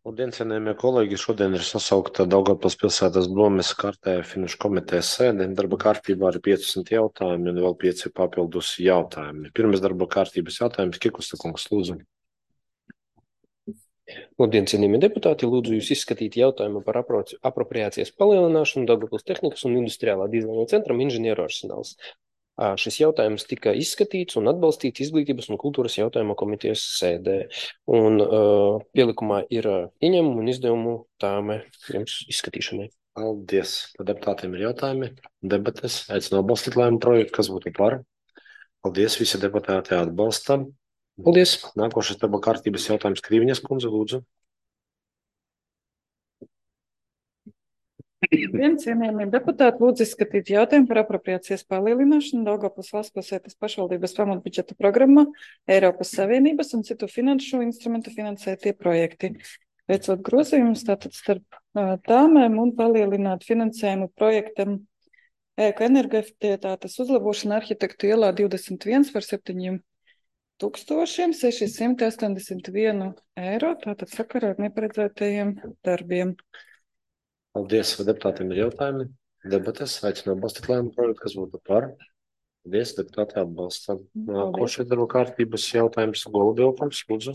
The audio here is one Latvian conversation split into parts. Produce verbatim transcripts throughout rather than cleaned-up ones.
Labdien, cienījamie kolēģi! Šodien ir sasaukta Daugavpils pilsētas domes kārtējā finanšu komitejas sēde. Darba kārtībā ir piecdesmit jautājumi un vēl pieci papildus jautājumi. Pirmais darba kārtības jautājums - Kikusta kungs, lūdzu. Labdien, cienījamie deputāti! Lūdzu jūs izskatīt jautājumu par apro- apropriācijas palielināšanu Daugavpils tehnikas un industriālā dizaina centram inženieru arsenāls. Ā, Šis jautājums tika izskatīts un atbalstīts Izglītības un kultūras jautājumu komitejas sēdē. Un uh, pielikumā ir uh, ieņēmumu un izdevumu tāme jums izskatīšanai. Paldies! Par deputātiem ir jautājumi, debates. Aicinu atbalstīt lēmumu projektu, kas būtu par. Paldies, visi deputāti atbalsta. Paldies! Nākošais darba kārtības jautājums - Krīviņas kundze, lūdzu. Labdien, cienījamie deputāti, lūdzu izskatīt jautājumu par apropriācijas palielināšanu Daugavpils valsts pilsētas pašvaldības pamatbudžeta programmā Eiropas Savienības un citu finanšu instrumentu finansētie projekti. Veicot grozījumus tātad starp ā, tāmēm un palielināt finansējumu projektam ēku energoefektivitātes uzlabošana Arhitektu ielā divdesmit viens par septiņiem tūkstošiem sešsimt astoņdesmit vienu eiro, tātad sakarā ar neparedzētajiem darbiem. Paldies, vai deputātiem ir jautājumi, debates. Aicinu atbalstīt lēmumu projektu, kas būtu par. Paldies, deputāti atbalsta. Nākošais darba kārtības jautājums - Golubilkungs, lūdzu.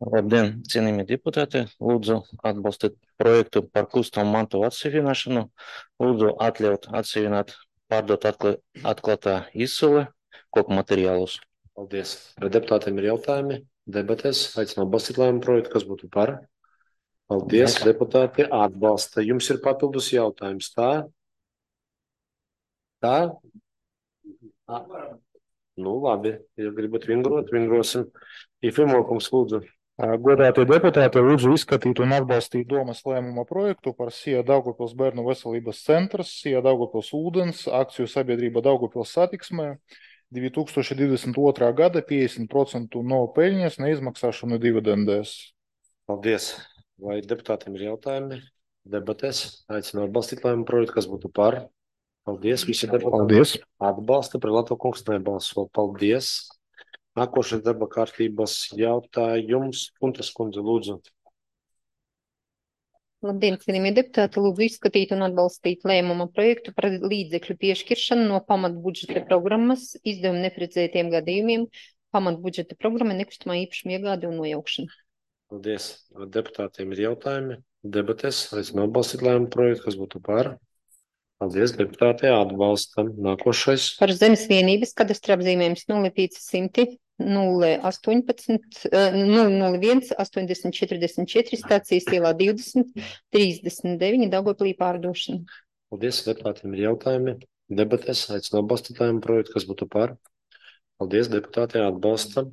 Labdien, cienījamie deputāti! Lūdzu atbalstīt projektu par kustamu mantu atseviināšanu. Lūdzu atļaut atsevināt, pārdot atkla, atklātā izsole koku materiālus. Paldies. Vai deputātiem ir jautājumi, debates. Aicinu atbalstīt lēmumu projektu, kas būtu par. Paldies, Mēs- deputāti atbalsta. Jums ir papildus jautājums, tā? Tā? Tā? Nu, labi. Ja gribat vingrot, vingrosim. Ifimokungs, lūdzu. Godātie deputāti, lūdzu izskatīt un atbalstīt domas lēmuma projektu par S I A Daugavpils bērnu veselības centrs, S I A Daugavpils ūdens, akciju sabiedrība Daugavpils satiksmē, divi tūkstoši divdesmit otrā gada piecdesmit procentu no peļņas neizmaksāšanu dividendēs. Paldies. Vai deputātiem ir jautājumi, debates? Aicinu atbalstīt lēmumu projektu, kas būtu par. Paldies, visi deputāti. Paldies! Atbalsta, Prelato kungs nebalso. Paldies. Nākošais darba kārtības jautājums. Kuntas kundze, lūdzu. Labdien, cienījamie deputāti, lūdzu izskatīt un atbalstīt lēmuma projektu par līdzekļu piešķiršanu no pamatbudžeta programmas izdevumu neparedzētiem gadījumiem, pamatbudžeta programma nekustamā īpašuma iegāde un nojaukšana. Paldies. Vai deputātiem ir jautājumi, debates? Aicinu atbalstīt lēmumu projektu, kas būtu par. Paldies, deputāti atbalstam. Nākošais. Par zemes vienības kadastra apzīmējums nulle piecsimt nulle astoņpadsmit nulle nulle viens astoņdesmit četrdesmit četri stācijas ielā divdesmit trīsdesmit deviņi Daugavpilī pārdošana. Paldies, deputātiem ir jautājumi, debates? Aicinu atbalstīt lēmumu projektu, kas būtu par. Paldies, deputāti atbalstam.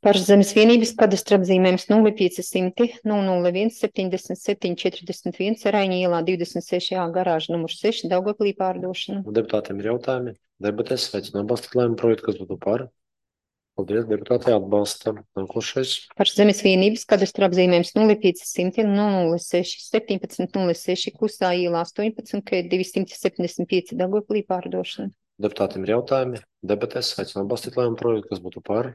Par zemes vienības kadastra apzīmējums nulle piecsimt nulle nulle viens septiņdesmit septiņi četrdesmit viens Raiņa ielā divdesmit seši A garāža numurs seši Daugavpilī pārdošana. Deputātiem ir jautājumi, debates? Aicinu atbalstīt lēmumu projektu, kas būtu par. Paldies, deputāti atbalstam. Nākošais. Par zemes vienības kadastra apzīmējums nulle piecsimt nulle seši septiņpadsmit nulle seši Klusā ielā astoņpadsmit K divsimt septiņdesmit pieci Daugavpilī pārdošana. Deputātiem ir jautājumi, debates? Aicinu atbalstīt lēmumu projektu, kas būtu par.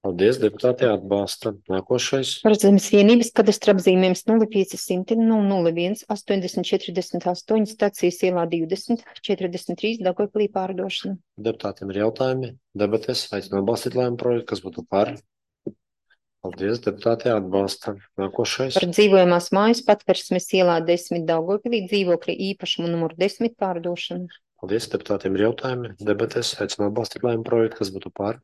Paldies, deputāti atbalsta. Nākošais. Par zemes vienības kadastra apzīmējums nulle piecsimt nulle nulle viens astoņdesmit četrdesmit astoņi stācijas ielā divdesmit četrdesmit trīs Daugavpilī pārdošana. Deputātiem ir jautājumi, debates? Aicinu atbalstīt lēmumu projektu, kas būtu par. Paldies, deputāti atbalsta. Nākošais. Par dzīvojamās mājas patversmes ielā desmit Daugavpilī dzīvokļa īpašumu numuru desmit pārdošana. Paldies, deputātiem ir jautājumi, debates? Aicinu atbalstīt lēmumu projektu, kas būtu par.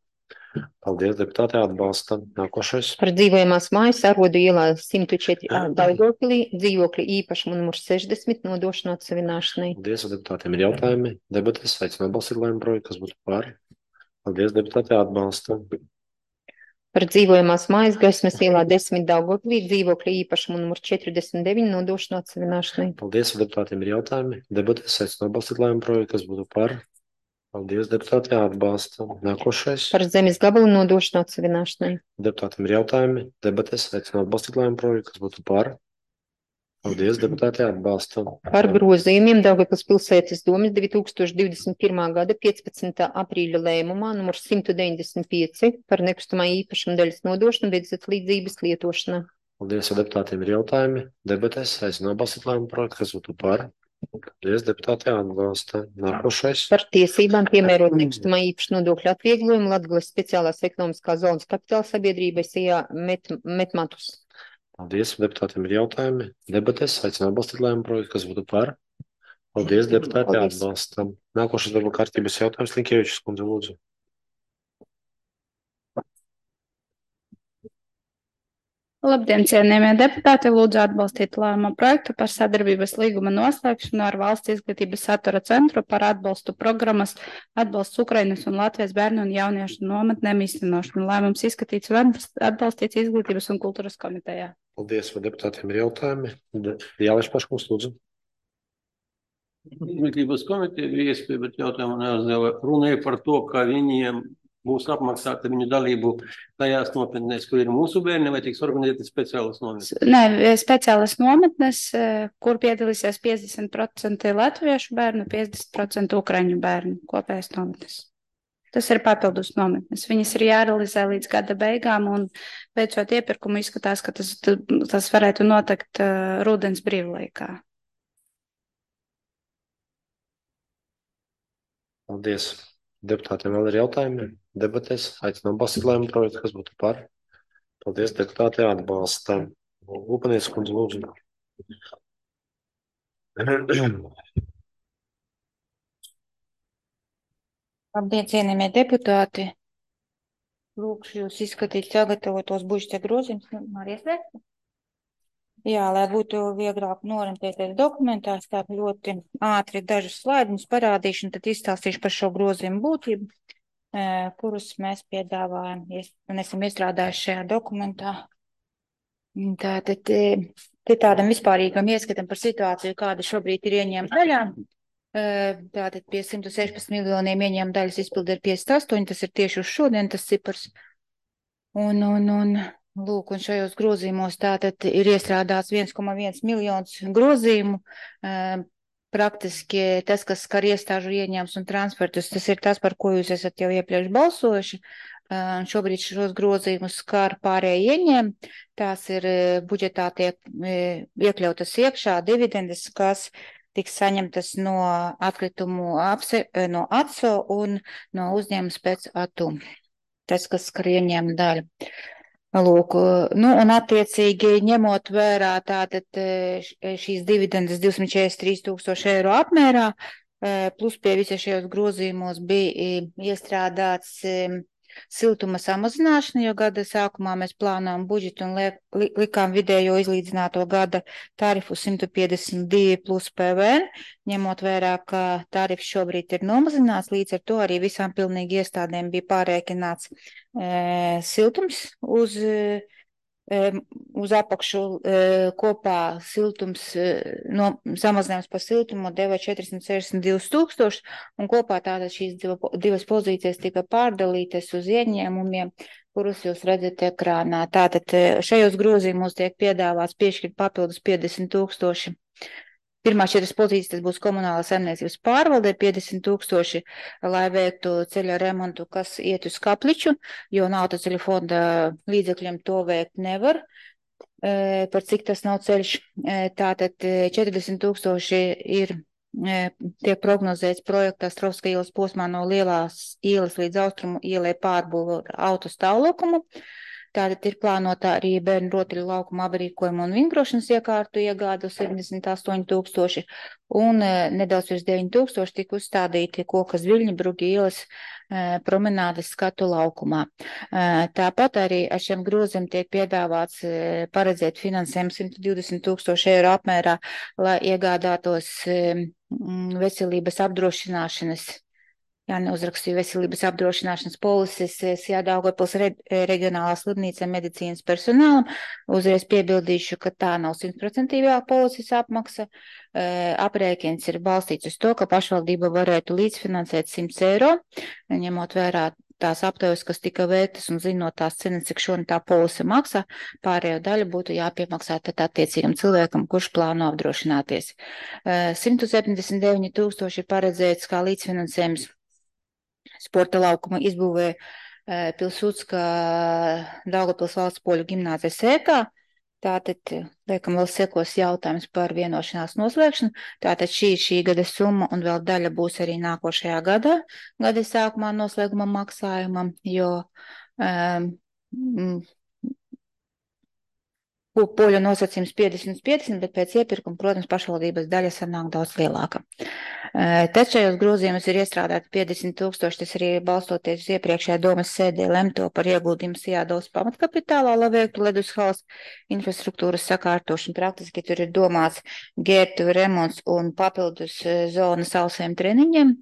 Paldies, deputāti atbalsta. Nākošais. Par dzīvojamās mājas Arodu ielā simt četri A Daugavpilī dzīvokļa īpašumu numuru sešdesmit nodošana atsevināšanai. Paldies, deputātiem ir jautājumi, debates? Aicinu atbalstīt lēmumu projektu, kas būtu par. Paldies, deputāti atbalsta. Par dzīvojamās mājas Gaismas ielā desmit Daugavpilī dzīvokļa īpašumu numuru četrdesmit deviņi nodošana atsevināšanai. Paldies, deputātiem ir jautājumi, debates? Aicinu atbalstīt lēmumu projektu, kas būtu par. Paldies, deputāti atbalsta. Nākošais. Par zemes gabalu nodošana atsevināšanai. Deputātiem ir jautājumi, debates? Aicinu atbalstīt lēmumu projektu, kas būtu par. Paldies, deputāti, atbalstam. Par grozījumiem Daugavpils pilsētas domes divi tūkstoši divdesmit pirmā gada piecpadsmitā aprīļa lēmumā numur simt deviņdesmit pieci par nekustamā īpašuma daļas nodošanu bezatslīdzības lietošanā. Paldies, ja deputātiem ir jautājumi. Debatēs aicinu atbalstīt lēmumu projektu, kas būtu par. Paldies, deputāti, atbalsta. Nākošais. Par tiesībām piemērot nekustamā īpašuma nodokļu atvieglojumu Latgales speciālās ekonomiskās zonas kapitāla sabiedrībai Sijā met, Metmatus. Paldies, deputātiem ir jautājumi. Debatēs aicinu atbalstīt lēmumu projektu, kas būtu par. Paldies, deputāti, Paldies. atbalstam. Nākošais darba kārtības jautājums, Linkievičs kundze, lūdzu. Labdien, cienījamie deputāti! Lūdzu atbalstīt lēmumu projektu par sadarbības līguma noslēgšanu ar Valsts izglītības satura centru par atbalstu programmas atbalsts Ukrainas un Latvijas bērnu un jauniešu nometnēm īstenošanu. Lēmums izskatīts un atbalstīts Izglītības un kultūras komitejā. Paldies, vai deputātiem ir jautājumi. Jālaiž paškungs, lūdzu. Izglītības komiteja bija iespēja, bet jautājumu neuzdeva. Runāja par to, ka viņiem būs apmaksāta viņu dalību tajās nometnēs, kur ir mūsu bērni, vai tiks organizēti speciālas nometnes? Nē, speciālas nometnes, kur piedalīsies piecdesmit procenti latviešu bērnu, piecdesmit procenti ukraiņu bērnu kopējās nometnes. Tas ir papildus nometnes. Viņas ir jārealizē līdz gada beigām, un veicot iepirkumu izskatās, ka tas, tas varētu notikt uh, rudens brīvlaikā. Paldies. Deputātiem vēl ir jautājumi. Debatēs aicinu atbalstīt lēmumu projektu, kas būtu par. Paldies, deputāti, atbalsta. Upanieks kundze, lūdzu. Labdien, cienījamie deputāti! Lūkšu jūs izskatīt sagatavotos budžeta grozījumus. Marijas vērts? Jā, lai būtu vieglāk norientēties dokumentās, tā ļoti ātri dažus slaidiņus parādīšu, un tad izstāstīšu par šo grozījumu būtību, kurus mēs piedāvājam un esam iestrādājuši šajā dokumentā. Tātad te tādam vispārīgam ieskatam par situāciju, kāda šobrīd ir ieņēmta daļā. Tātad pie simt sešpadsmit miljoniem ieņēmuma daļas izpildi ir piecdesmit astoņi, tas ir tieši uz šodien tas cipars. Un, un, un, lūk, un šajos grozījumos tātad ir iestrādāts viens komats viens miljons grozījumu. Praktiski tas, kas skar iestāžu ieņēmums un transfertus, tas ir tas, par ko jūs esat jau iepriekš balsojuši. Šobrīd šos grozījumus skar pārējie ieņēmumi. Tās ir budžetā tiek iekļautas iekšā dividendes, kas tiks saņemtas no atkritumu apse, no atso un no uzņēmums pēc atu. Tas, kas skar ieņēmuma daļu. Lūk, nu, un attiecīgi ņemot vērā tātad šīs dividendes divsimt četrdesmit trīs tūkstoši eiro apmērā, plus pie visiem šajos grozījumos bija iestrādāts siltuma samazināšana, jo gada sākumā mēs plānojam budžetu un liek, li, likām vidējo izlīdzināto gada tarifu simt piecdesmit divi plus P V N, ņemot vērā, ka tarifs šobrīd ir nomazināts, līdz ar to arī visām pilnīgi iestādēm bija pārēķināts e, siltums uz, e, uz apakšu e, kopā siltums, e, no, samazinājums par siltumu deva četrsimt sešdesmit divus tūkstošus, un kopā tātad šīs divas pozīcijas tika pārdalītas uz ieņēmumiem, kurus jūs redzat ekrānā. Tātad šajos grozījumos tiek piedāvāts piešķirt papildus piecdesmit tūkstoši. Pirmās četras pozīcijas tas būs komunālā saimniecības pārvaldē, piecdesmit tūkstoši, lai veiktu ceļa remontu, kas iet uz Kapliču, jo autoceļu fonda līdzekļiem to veikt nevar, e, par cik tas nav ceļš. E, tātad četrdesmit tūkstoši ir, e, tiek prognozēts projektā Strovska ielas posmā no Lielās ielas līdz Austrumu ielai pārbūvu autostāvlokumu. Tātad ir plānotā arī bērnu rotaļu laukuma aprīkojumu un vingrošanas iekārtu iegādu septiņdesmit astoņi tūkstoši un nedaudz virs deviņi tūkstoši tika uzstādīti Kokas Viļņa Brugi ielas e, promenādes skatu laukumā. E, tāpat arī ar šiem groziem tiek piedāvāts e, paredzēt finansējumu simt divdesmit tūkstoši eiro apmērā, lai iegādātos e, veselības apdrošināšanas. Jā, neuzrakstīju veselības apdrošināšanas polises Sijā Daugavpils re, reģionālā slimnīca medicīnas personālam. Uzreiz piebildīšu, ka tā nav simtprocentīgā polises apmaksa. E, aprēķins ir balstīts uz to, ka pašvaldība varētu līdzfinansēt simt eiro, ņemot vērā tās aptaujas, kas tika veiktas un zinot tās cenas, cik šodien tā polise maksā, pārējo daļu būtu jāpiemaksā tad attiecīgam cilvēkam, kurš plāno apdrošināties. simt septiņdesmit deviņi tūkstoši ir paredzēts kā līdzfinansējums sporta laukuma izbūvē Pilsudska Daugavpils valsts poļu gimnāzijas sēkā. Tātad, liekam, vēl sekos jautājums par vienošanās noslēgšanu. Tātad šī ir šī gada summa un vēl daļa būs arī nākošajā gadā, gada sākumā noslēguma maksājumam, jo um, poļu nosacījums piecdesmit piecdesmit, bet pēc iepirkuma, protams, pašvaldības daļa sanāk daudz lielāka. Tad šajos grozījumus ir iestrādāti piecdesmit tūkstoši, tas arī balstoties uz iepriekšējā domas sēdē lemto par ieguldījumu Sijādavas pamatkapitālā, lai veiktu ledus halas infrastruktūras sakārtošanu. Praktiski tur ir domāts gērtuvi remonts un papildus zona sausiem treniņiem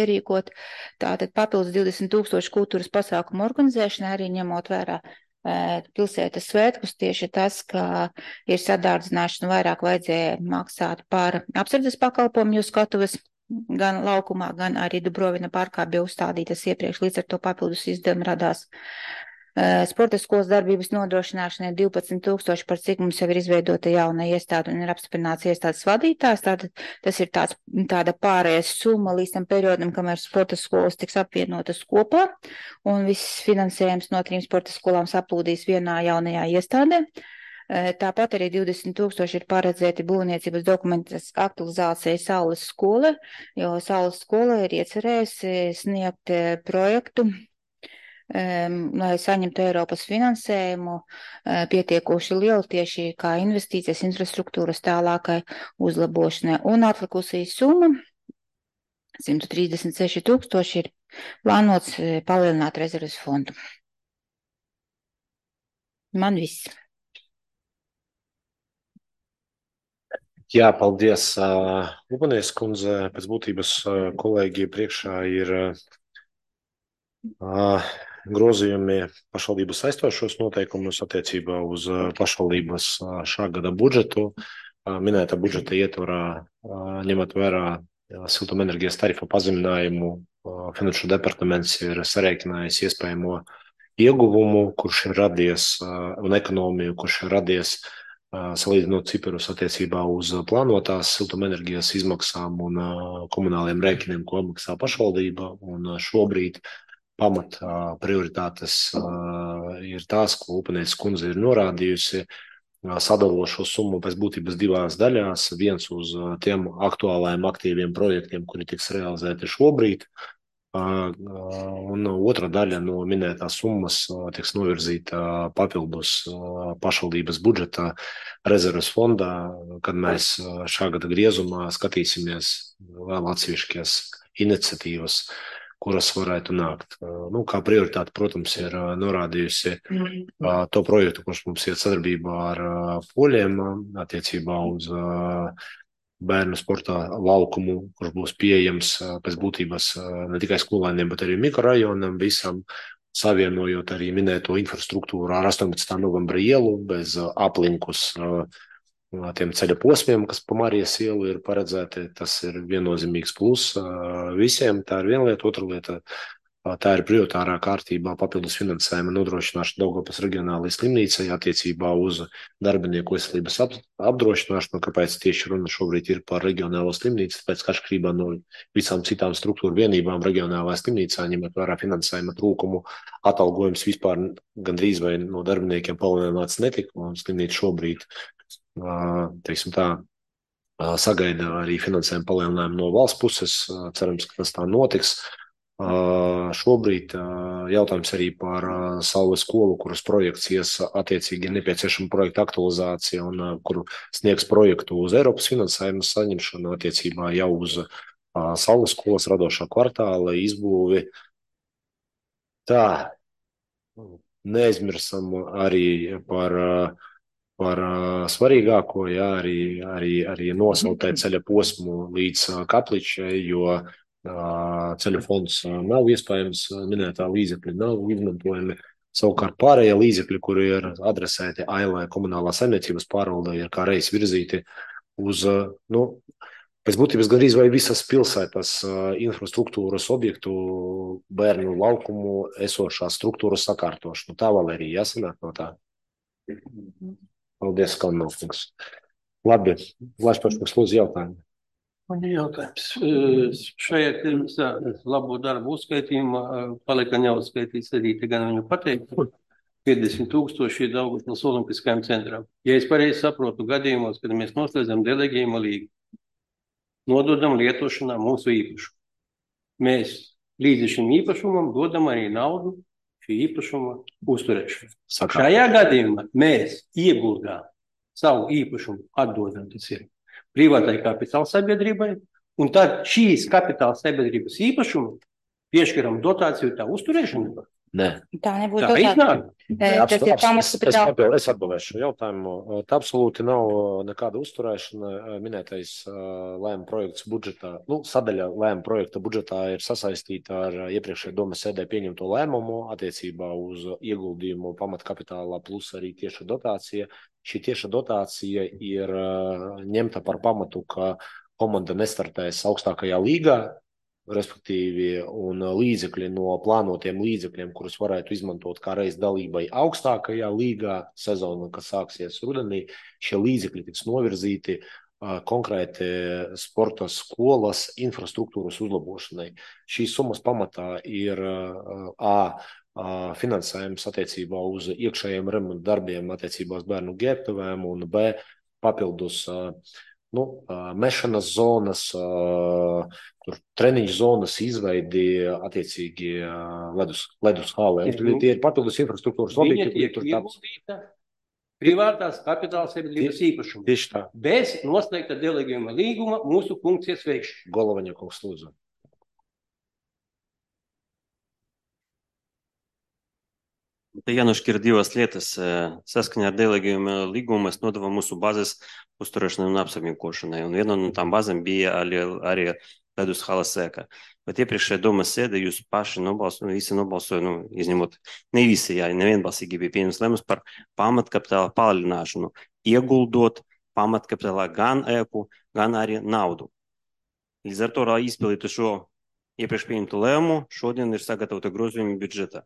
ierīkot. Tātad papildus divdesmit tūkstoši kultūras pasākumu organizēšanai, arī ņemot vērā pilsētas svētkus, tieši tas, ka ir sadārdzināšana, vairāk vajadzēja maksāt par apsardzes pakalpojumu, jo skatuves gan laukumā, gan arī Dubrovina parkā bija uzstādītas iepriekš, līdz ar to papildus izdevumi radās. Sporta skolas darbības nodrošināšanai divpadsmit tūkstoši, par cik mums jau ir izveidota jauna iestāde un ir apstiprināts iestādes vadītājs. Tātad tas ir tāds, tāda pārējais summa līdz tam periodam, kamēr sporta skolas tiks apvienotas kopā un viss finansējums no trim sporta skolām saplūdīs vienā jaunajā iestādē. Tāpat arī divdesmit tūkstoši ir paredzēti būvniecības dokumentas aktualizācija Saules skola, jo Saules skola ir iecerējusi sniegt projektu, Um, lai saņemtu Eiropas finansējumu uh, pietiekoši lielu tieši kā investīcijas infrastruktūras tālākai uzlabošanai. Un atlikusī summa simt trīsdesmit seši tūkstoši ir plānots uh, palielināt rezerves fondu. Man viss. Jā, paldies. Uh, Lubanies kundze, pēc būtības uh, kolēģi priekšā ir uh, grozījumi pašvaldības saistošos noteikumus attiecībā uz pašvaldības šā gada budžetu. Minēta budžeta ietvarā, ņemot vērā siltumenerģijas tarifa pazeminājumu, Finanšu departaments ir sarēķinājis iespējamo ieguvumu, kurš ir radies, un ekonomiju, kurš ir radies salīdzinot ciparus attiecībā uz plānotās siltumenerģijas izmaksām un komunāliem rēķiniem, ko apmaksā pašvaldība, un šobrīd pamat prioritātes ir tās, ko Lupanietes kundze ir norādījusi, sadalot šo summu pēc būtības divās daļās. Viens uz tiem aktuālajiem aktīviem projektiem, kuri tiks realizēti šobrīd, un otra daļa no minētās summas tiks novirzīta papildus pašvaldības budžeta rezerves fondā, kad mēs šā gada griezumā skatīsimies vēl atsevišķas iniciatīvas, kuras varētu nākt. Nu, kā prioritāte, protams, ir norādījusi to projektu, kurš mums iet sadarbībā ar poļiem attiecībā uz bērnu sporta laukumu, kurš būs pieejams pēc būtības ne tikai skolēniem, bet arī mikrorajonam visam, savienojot arī minēto infrastruktūru ar astoņpadsmitā novembra ielu bez aplinkus tiem ceļa posmiem, kas pa Marijas ielu ir paredzēti. Tas ir viennozīmīgs plus visiem. Tā ir viena lieta. Otra lieta, tā ir prioritārā kārtībā papildus finansējuma nodrošināšana Daugavpils reģionālajai slimnīcai attiecībā uz darbinieku veselības apdrošināšanu. Kāpēc tieši runa šobrīd ir par reģionālo slimnīcu? Tāpēc, ka atšķirībā no visām citām struktūru vienībām reģionālajā slimnīcā, ņemot vērā finansējuma trūkumu, atalgojums vispār gandrīz vai no darbiniekiem palielināts netika, un slimnīca šobrīd teiksim tā, sagaida arī finansējumu palielinājumu no valsts puses. Cerams, ka tas tā notiks. Šobrīd jautājums arī par Saules skolu, kuras projekts ies attiecīgi nepieciešama projekta aktualizācija un kuru sniegs projektu uz Eiropas finansējumu saņemšanu attiecībā jau uz Saules skolas radošā kvartāla izbūvi. Tā, neaizmirsam arī par par svarīgāko, jā, arī, arī, arī nosautē ceļa posmu līdz Kapličai, jo ceļu fonds nav iespējams, minētā līdzekļi nav izmantojami. Savukārt pārējie līdzekļi, kuri ir adresēti Ailai komunālā saimniecības pārvaldē, ir kā reiz virzīti uz, nu, Pēc būtības gandrīz vai visas pilsētas uh, infrastruktūras objektu bērnu laukumu esošās struktūras sakārtošanu. Tā vēl arī jāsanāk no tā. Paldies, Kalnovkungs. Labi, Laišpaškungs, lūdzu jautājumu. Man ir jautājums. Eh, Šajā pirms labo darbu uzskaitījumā eh, palika neuzskaitīts arī te gan viņu pateikt, piecdesmit tūkstoši ir Daugavpils olimpiskajam centram. Ja es pareizi saprotu gadījumos, kad mēs noslēdzam delegējuma līgu, nododam lietošanā mūsu īpašumu. Mēs līdz šim īpašumam dodam arī naudu šī īpašuma uzturēšanu. Sakā. Šajā gadījumā mēs ieguldām savu īpašumu, atdodam tas ir privātai kapitāla sabiedrībai, un tad šīs kapitāla sabiedrības īpašumu piešķiram dotāciju tā uzturēšanu. Nē. Tā nebūtu Tā dotācija. iznāk. Eh, Tas ir Abs- es, pamatkapitāla. papildu- es atbildēšu šo jautājumu. Tā absolūti nav nekāda uzturēšana. Minētais lēma projekts budžetā, nu, sadaļa lēma projekta budžetā ir sasaistīta ar iepriekšējā domas sēdē pieņemto lēmumu attiecībā uz ieguldījumu pamatkapitālā plus arī tieša dotācija. Šī tieša dotācija ir uh, ņemta par pamatu, ka komanda nestartēs augstākajā līgā, respektīvi, un līdzekļi no plānotiem līdzekļiem, kurus varētu izmantot kā reiz dalībai augstākajā līgā sezona, kas sāksies rudenī, šie līdzekļi tiks novirzīti uh, konkrēti sporta skolas infrastruktūras uzlabošanai. Šīs summas pamatā ir uh, A. Uh, finansējums attiecībā uz iekšējiem remontu darbiem attiecībā uz bērnu ģērbtuvēm un B. papildus uh, nu, uh, mešanas zonas, uh, tur treniņu zonas izveidi attiecīgi uh, ledus, ledus hālē. Tie ir papildus infrastruktūras Viņa objekti. tiek Tur tāds ieguldīta privātās kapitāla sabiedrības īpašumu. tieši tā. Bez noslēgta delegējuma līguma mūsu funkcijas veikšana. Golovaņa kungs, lūdzu. Te jānošķir divas lietas. Saskaņā ar delegējumu līgumu mēs nodevām mūsu bāzes uzturēšanai un apsaimniekošanai. Un viena no tām bāzēm bija arī, arī ledus hala sēka. Bet iepriekšējā domas sēdē jūs paši nobalsoja, visi nobalsoja, nu, izņemot, ne visi, jā, nevienbalsīgi bija pieņems lēmums par pamatkapitāla palielināšanu, ieguldot pamatkapitālā gan ēku, gan arī naudu. Līdz ar to, lai izpildītu šo iepriekš pieņemtu lēmumu, šodien ir sagatavota grozījuma budžetā.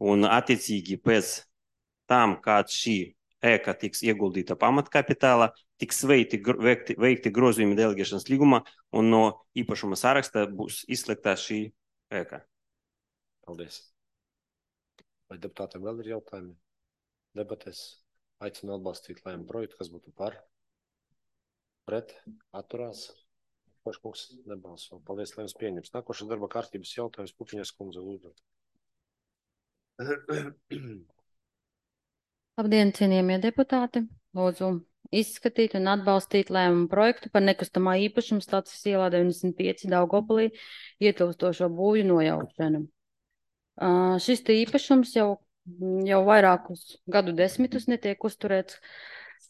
Un attiecīgi pēc tam, kad šī ēka tiks ieguldīta pamatkapitālā, tiks veikti, veikti, veikti grozījumi delegēšanas līgumā un no īpašuma saraksta būs izslēgta šī ēka. Paldies. Vai deputātiem vēl ir jautājumi? Debatēs aicinu atbalstīt lēmumu projektu, kas būtu par, pret, atturās. Paškungs nebalso. Paldies, lēmums pieņems. Nākošais darba kārtības jautājums Pupiņas kundze, lūdzu. Labdien, cienījamie deputāti! Lūdzu izskatīt un atbalstīt lēmumu projektu par nekustamā īpašuma Stācijas ielā deviņdesmit pieci Daugavpilī ietilpstošo būvju nojaukšanu. Uh, šis te īpašums jau, jau vairākus gadu desmitus netiek uzturēts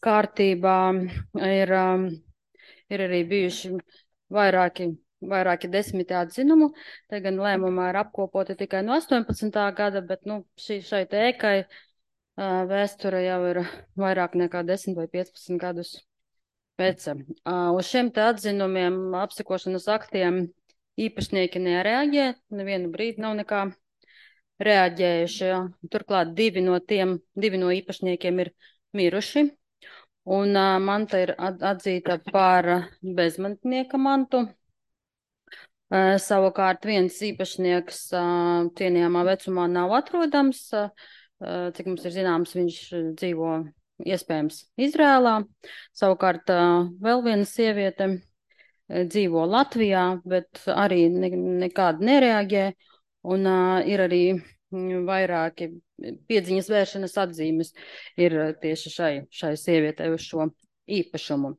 kārtībā. Ir, um, ir arī bijuši vairāki vairāki desmiti atzinumu, te gan lēmumā ir apkopoti tikai no astoņpadsmitā gada, bet nu, šī, šai te ēkai uh, vēsture jau ir vairāk nekā desmit vai piecpadsmit gadus pēc. Uh, uz šiem te atzinumiem, apsekošanas aktiem īpašnieki nereaģē, nevienu brīdi nav nekā reaģējuši. Turklāt divi no tiem, divi no īpašniekiem ir miruši, un uh, manta ir atzīta par bezmantnieka mantu. Uh, savukārt viens īpašnieks uh, cienījamā vecumā nav atrodams, uh, cik mums ir zināms, viņš dzīvo iespējams Izrēlā. Savukārt uh, vēl viena sieviete uh, dzīvo Latvijā, bet arī ne, nekādi nereaģē, un uh, ir arī vairāki piedziņas vēršanas atzīmes ir tieši šai, šai sievietei uz šo īpašumu.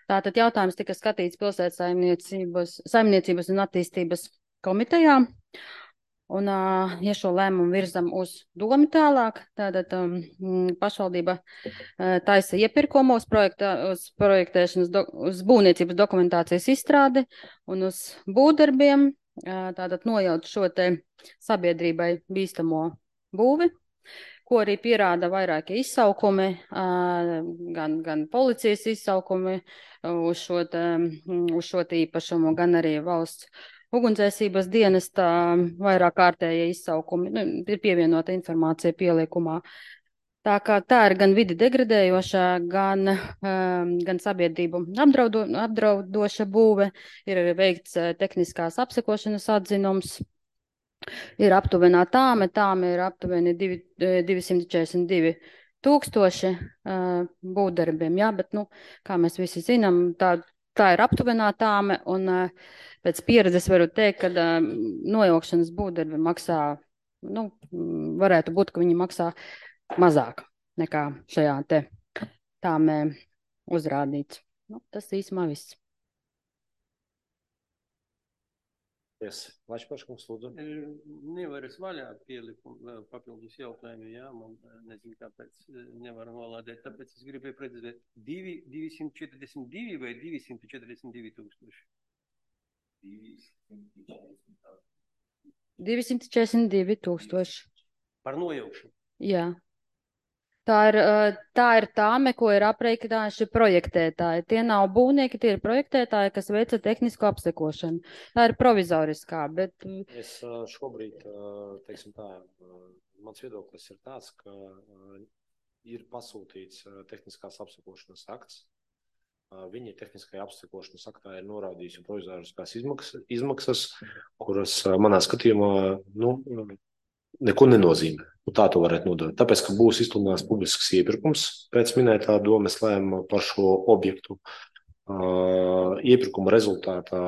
Tātad jautājums tika skatīts pilsētas saimniecības, saimniecības un attīstības komitejā. Un, ja šo lēmumu virzam uz domu tālāk, tātad um, pašvaldība uh, taisa iepirkumos projektā, uz projektēšanas, do, uz būvniecības dokumentācijas izstrādi un uz būvdarbiem, uh, tātad nojaut šo te sabiedrībai bīstamo būvi, ko arī pierāda vairākie izsaukumi, gan, gan policijas izsaukumi uz šo, te, uz šo te īpašumu, gan arī valsts ugunsdzēsības dienesta vairāk kārtējie izsaukumi. Nu, ir pievienota informācija pielikumā. Tā kā tā ir gan vidi degradējoša, gan, gan sabiedrību apdraudo, apdraudoša būve, ir veikts tehniskās apsekošanas atzinums. Ir aptuvenā tāme, tāme ir aptuveni divsimt četrdesmit divi tūkstoši uh, būvdarbiem, jā, bet, nu, kā mēs visi zinām, tā, tā ir aptuvenā tāme, un uh, pēc pieredzes varu teikt, ka uh, nojaukšanas būvdarbi maksā, nu, varētu būt, ka viņi maksā mazāk nekā šajā te tāmē uzrādīts. Nu, tas īsumā viss. Yes. Vaļšpaškungs, lūdzu. Nevar es vaļā pielikumu papildus jautājumu, jā, man nezinu, kāpēc nevaru nolādēt, tāpēc es gribēju precizēt divsimt četrdesmit divi vai divsimt četrdesmit divi tūkstoši? divsimt četrdesmit divi tūkstoši. Par nojaukšanu? Jā. Tā ir, tā ir tāme, ko ir aprēķinājuši projektētāji. Tie nav būvnieki, tie ir projektētāji, kas veica tehnisko apsekošanu. Tā ir provizoriskā, bet... Es šobrīd, teiksim tā, mans viedoklis ir tāds, ka ir pasūtīts tehniskās apsekošanas akts. Viņi tehniskajā apsekošanas aktā ir norādījusi provizoriskās izmaksas, izmaksas, kuras manā skatījumā, nu, neko nenozīmē. Nu, tā to varētu nodot. Tāpēc, ka būs izsludināts publisks iepirkums pēc minētā domes lēmuma par šo objektu. Uh, iepirkuma rezultātā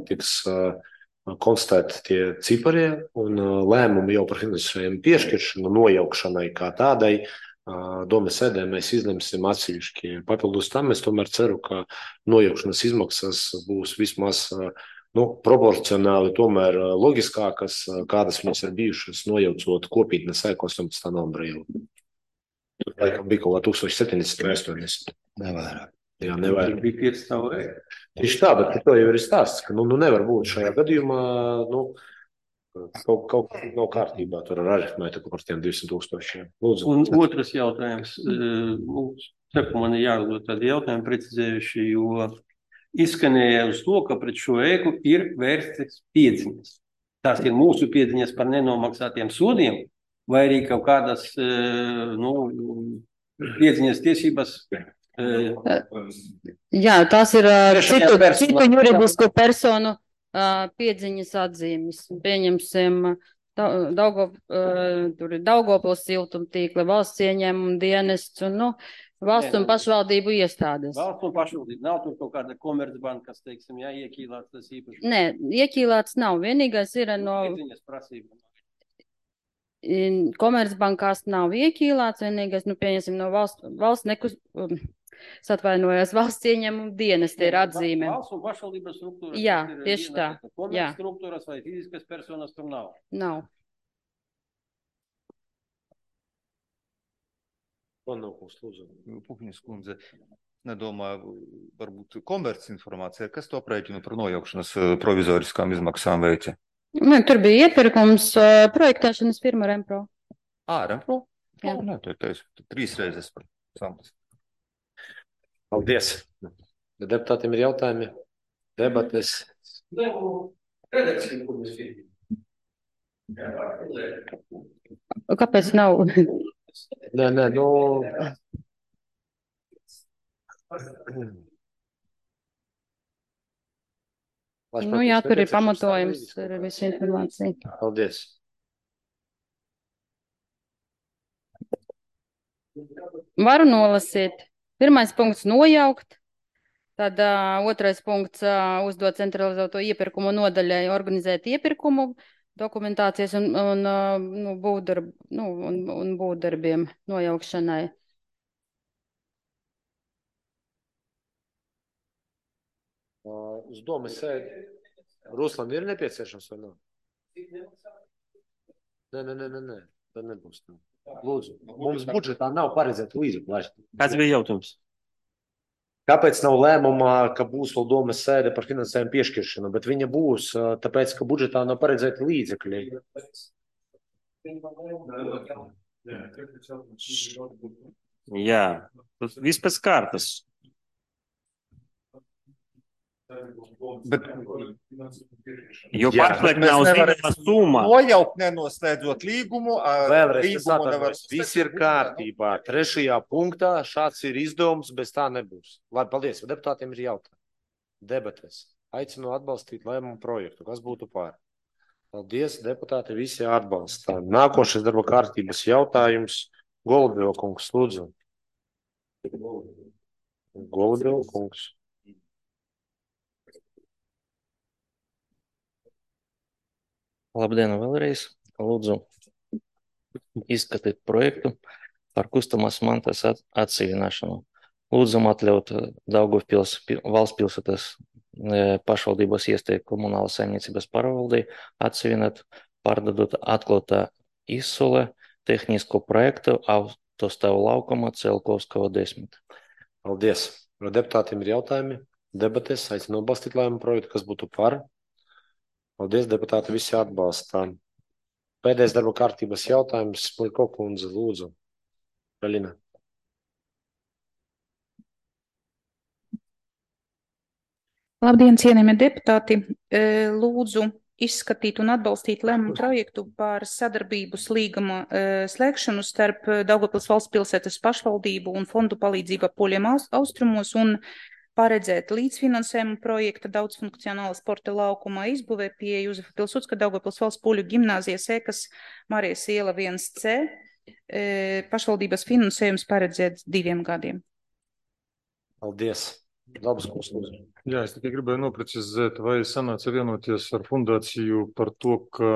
tiks uh, konstatēti tie ciparie un uh, lēmumi jau par finansējumu piešķiršanu, nojaukšanai kā tādai. Uh, domes sēdē mēs izlemsim atsevišķi. Papildus tam es tomēr ceru, ka nojaukšanas izmaksas būs vismaz uh, nu, proporcionāli tomēr loģiskākas, kādas viņas ir bijušas nojaucot kopītnes ēku astoņpadsmitā novembrī. Tur laikam bija kaut kā tūkstoš septiņdesmit vai astoņdesmit. Nevairāk. Jā, nevairāk. Bija pieci stāvu ēku. Tieši tā, bet par to jau ir stāsts, ka nu, nu nevar būt šajā gadījumā, nu, kaut, kaut nav kārtībā tur ar aritmētiku par tiem divsimt tūkstošiem. Lūdzu. Un otrs jautājums. Nu, saku, man ir jāuzdod tādi jautājumi precizējuši, jo izskanēja uz to, ka pret šo ēku ir vērstas piedziņas. Tās ir mūsu piedziņas par nenomaksātiem sodiem, vai arī kaut kādas nu, piedziņas tiesības. Jā, tās ir citu, citu juridisku personu piedziņas atzīmes. Pieņemsim, Daugo, tur ir Daugavpils siltumtīkli, valsts ieņēmuma dienests un, nu, valsts un pašvaldību iestādes. Valsts un pašvaldību. Nav tur kaut kāda komercbanka, kas, teiksim, jā, iekīlāts tas īpaši. Nē, iekīlāts nav. Vienīgais ir no... Piedziņas prasība. Komercbankās nav iekīlāts. Vienīgais, nu, pieņemsim, no valsts, valsts nekus... Satvainojās valsts ieņēmuma dienesta ir atzīme. Valsts un pašvaldības struktūras. Jā, tieši tā. Komerc struktūras vai fiziskas personas tur nav. Nav. Puhņas kundze, nedomāju, varbūt komerci informācija, kas to aprēķinu par nojaukšanas provizoriskām izmaksām veica? Ne, tur bija iepirkums projektēšanas firma Rempro. Ā, Rempro? Jā. Nē, to ir teicu, trīs reizes par samtas. Paldies. Deputātiem ir jautājumi, debates. Kāpēc nav? Nē, nē, nu... Nu jā, tur ir pamatojums, tur ir visa informācija. Paldies. Varu nolasīt. Pirmais punkts nojaukt. Tad uh, otrais punkts uh, uzdot centralizēto iepirkumu nodaļai organizēt iepirkumu dokumentācijas un, un, uh, nu, būvdarb, nu, un, un būvdarbiem nojaukšanai. Uh, uz domas sēdi. Ruslan ir nepieciešams vai nav? Nē, nē, nē, nē, nē. Tad nebūs. Lūdzu, mums budžetā nav paredzēta līdzekļu. Kāds bija jautājums? Kāpēc nav lēmumā, ka būs vēl domas sēde par finansējumu piešķiršanu, bet viņa būs, tāpēc, ka budžetā nav paredzēti līdzekļi? Jā, tas viss pēc kārtas. Bet, Jo Jā, pašlaik mēs nav nevaram zināma summa. nojaukt, nenoslēdzot līgumu. ā, Vēlreiz es līgumu nevar atvainojos. Viss ir uztaisīt, kārtībā. Trešajā punktā šāds ir izdevums, bez tā nebūs. Labi, paldies. Deputātiem ir jautājumi. Debates. Aicinu atbalstīt lēmumu projektu. Kas būtu pār? Paldies, deputāti, visi atbalstā. Nākošais darba kārtības jautājums. Golubjova kungs, lūdzu. Golubjova kungs. Labdien vēlreiz. Lūdzu izskatīt projektu par kustamās mantas at atseviināšanu. Lūdzam atļaut Daugavpils pi- valsts pilsētas e, pašvaldības iestādi komunālas saimniecības pārvaldei atsevināt, pārdodot atklātā izsole tehnisko projektu autostāvu laukuma Celkovskava desmit. Paldies. Vai deputātiem ir jautājumi? Debates. Aicinu atbalstīt lēmumu projektu. Kas būtu par? Paldies, deputāti, visi atbalstā. Pēdējais darba kārtības jautājums. Smuļko kundze, lūdzu. Galina. Labdien, cienījamie deputāti! E, Lūdzu izskatīt un atbalstīt lēmumu projektu par sadarbības līguma e, slēgšanu starp Daugavpils valsts pilsētas pašvaldību un fondu palīdzību Poļiem aus- austrumos un paredzēt līdzfinansējumu projekta daudzfunkcionāla sporta laukuma izbūvē pie Jūzefa Pilsudska Daugavpils valsts poļu gimnāzijas Ēkas Marijas iela viens C. E, Pašvaldības finansējums paredzēts diviem gadiem. Paldies. Labas kungs, lūdzu. Jā, es tikai gribēju noprecizēt, vai sanāca vienoties ar fundāciju par to, ka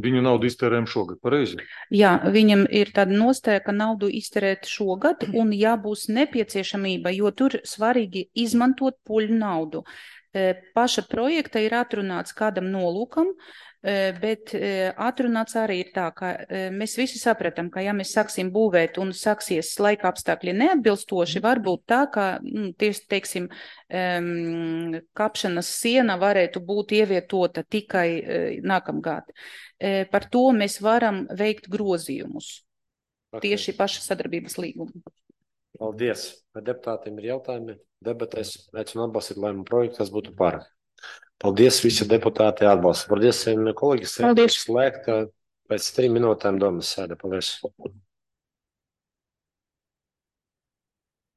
viņu naudu iztērējam šogad, pareizi? Jā, viņam ir tāda nostāja, ka naudu izterēt šogad, un ja būs nepieciešamība, jo tur svarīgi izmantot poļu naudu. E, Paša projekta ir atrunāts kādam nolūkam, e, bet e, atrunāts arī ir tā, ka e, mēs visi sapratam, ka ja mēs sāksim būvēt un sāksies laika apstākļi neatbilstoši, varbūt tā, ka, nu, tieši, teiksim, em, kapšanas siena varētu būt ievietota tikai e, nākamgad. E, Par to mēs varam veikt grozījumus Ok. tieši paša sadarbības līgumu. Paldies. Vai deputātiem ir jautājumi? Debates. Aicinu atbalstīt lēmumu projektu. Kas būtu par? Paldies, visi deputāti atbalsta. Paldies, kolēģi. Paldies. Slēgta pēc trim minūtēm domas sēde. Paldies.